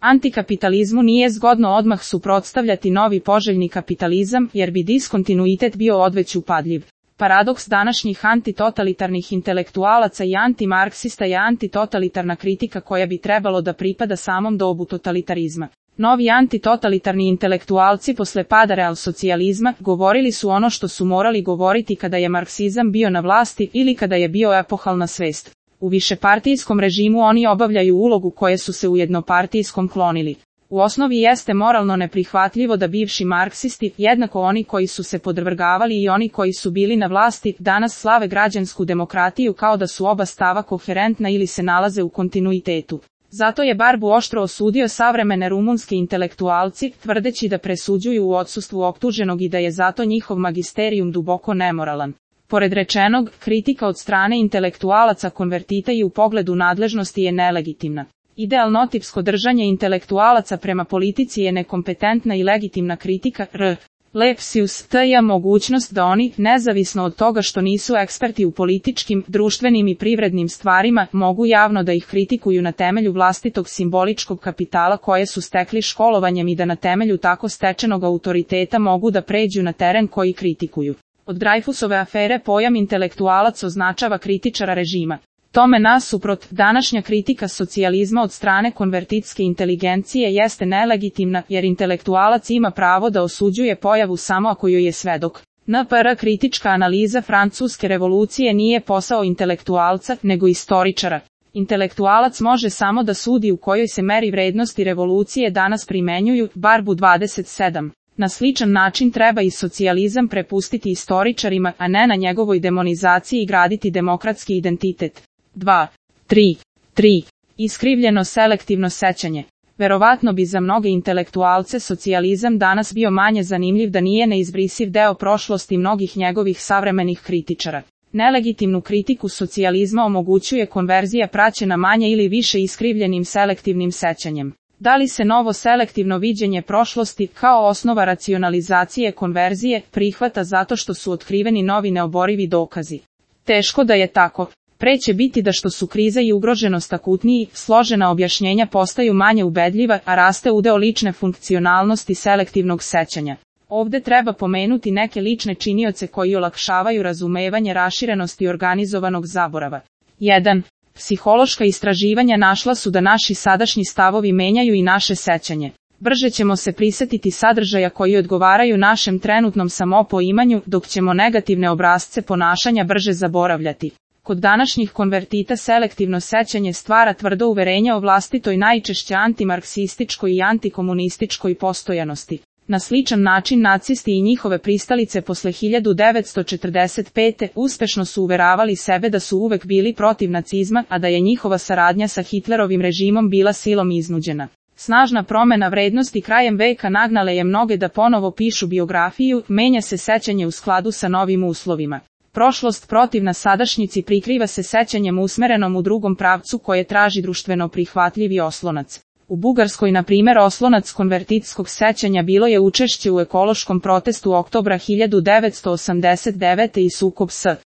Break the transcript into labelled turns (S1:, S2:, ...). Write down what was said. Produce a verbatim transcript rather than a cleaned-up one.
S1: Antikapitalizmu nije zgodno odmah suprotstavljati novi poželjni kapitalizam, jer bi diskontinuitet bio odveć upadljiv. Paradoks današnjih antitotalitarnih intelektualaca i antimarksista je antitotalitarna kritika koja bi trebalo da pripada samom dobu totalitarizma. Novi antitotalitarni intelektualci posle pada realsocijalizma govorili su ono što su morali govoriti kada je marksizam bio na vlasti ili kada je bio epohalna svest. U višepartijskom režimu oni obavljaju ulogu koje su se u jednopartijskom klonili. U osnovi jeste moralno neprihvatljivo da bivši marksisti, jednako oni koji su se podvrgavali i oni koji su bili na vlasti, danas slave građansku demokratiju kao da su oba stava koherentna ili se nalaze u kontinuitetu. Zato je Barbu oštro osudio savremene rumunske intelektualci, tvrdeći da presuđuju u odsustvu optuženog i da je zato njihov magisterijum duboko nemoralan. Pored rečenog, kritika od strane intelektualaca konvertita i u pogledu nadležnosti je nelegitimna. Idealnotipsko držanje intelektualaca prema politici je nekompetentna i legitimna kritika, r. Lepsius, t je mogućnost da oni, nezavisno od toga što nisu eksperti u političkim, društvenim i privrednim stvarima, mogu javno da ih kritikuju na temelju vlastitog simboličkog kapitala koje su stekli školovanjem i da na temelju tako stečenog autoriteta mogu da pređu na teren koji kritikuju. Od Dreyfusove afere pojam intelektualac označava kritičara režima. Tome nasuprot, današnja kritika socijalizma od strane konvertitske inteligencije jeste nelegitimna, jer intelektualac ima pravo da osuđuje pojavu samo ako joj je svedok. N P R kritička analiza francuske revolucije nije posao intelektualca, nego istoričara. Intelektualac može samo da sudi u kojoj se meri vrednosti revolucije danas primenjuju, Barbu dvadeset sedam. Na sličan način treba i socijalizam prepustiti istoričarima, a ne na njegovoj demonizaciji i graditi demokratski identitet. dva. tri. tri. Iskrivljeno selektivno sećanje. Verovatno bi za mnoge intelektualce socijalizam danas bio manje zanimljiv da nije neizbrisiv deo prošlosti mnogih njegovih savremenih kritičara. Nelegitimnu kritiku socijalizma omogućuje konverzija praćena manje ili više iskrivljenim selektivnim sećanjem. Da li se novo selektivno viđenje prošlosti, kao osnova racionalizacije konverzije, prihvata zato što su otkriveni novi neoborivi dokazi? Teško da je tako. Pre će biti da što su kriza i ugroženost akutniji, složena objašnjenja postaju manje ubedljiva, a raste udeo lične funkcionalnosti selektivnog sećanja. Ovde treba pomenuti neke lične činioce koji olakšavaju razumevanje raširenosti organizovanog zaborava. jedan. Psihološka istraživanja našla su da naši sadašnji stavovi menjaju i naše sećanje. Brže ćemo se prisetiti sadržaja koji odgovaraju našem trenutnom samopoimanju, dok ćemo negativne obrasce ponašanja brže zaboravljati. Kod današnjih konvertita selektivno sećanje stvara tvrdo uverenje o vlastitoj najčešće antimarksističkoj i antikomunističkoj postojanosti. Na sličan način nacisti i njihove pristalice posle hiljadu devetsto četrdeset pete. uspešno su uveravali sebe da su uvek bili protiv nacizma, a da je njihova saradnja sa Hitlerovim režimom bila silom iznuđena. Snažna promena vrednosti krajem veka nagnale je mnoge da ponovo pišu biografiju, menja se sećanje u skladu sa novim uslovima. Prošlost protivna sadašnjici prikriva se sećanjem usmerenom u drugom pravcu koje traži društveno prihvatljivi oslonac. U Bugarskoj, na primjer, oslonac konvertitskog sećanja bilo je učešće u ekološkom protestu oktobra hiljadu devetsto osamdeset devete. i sukob s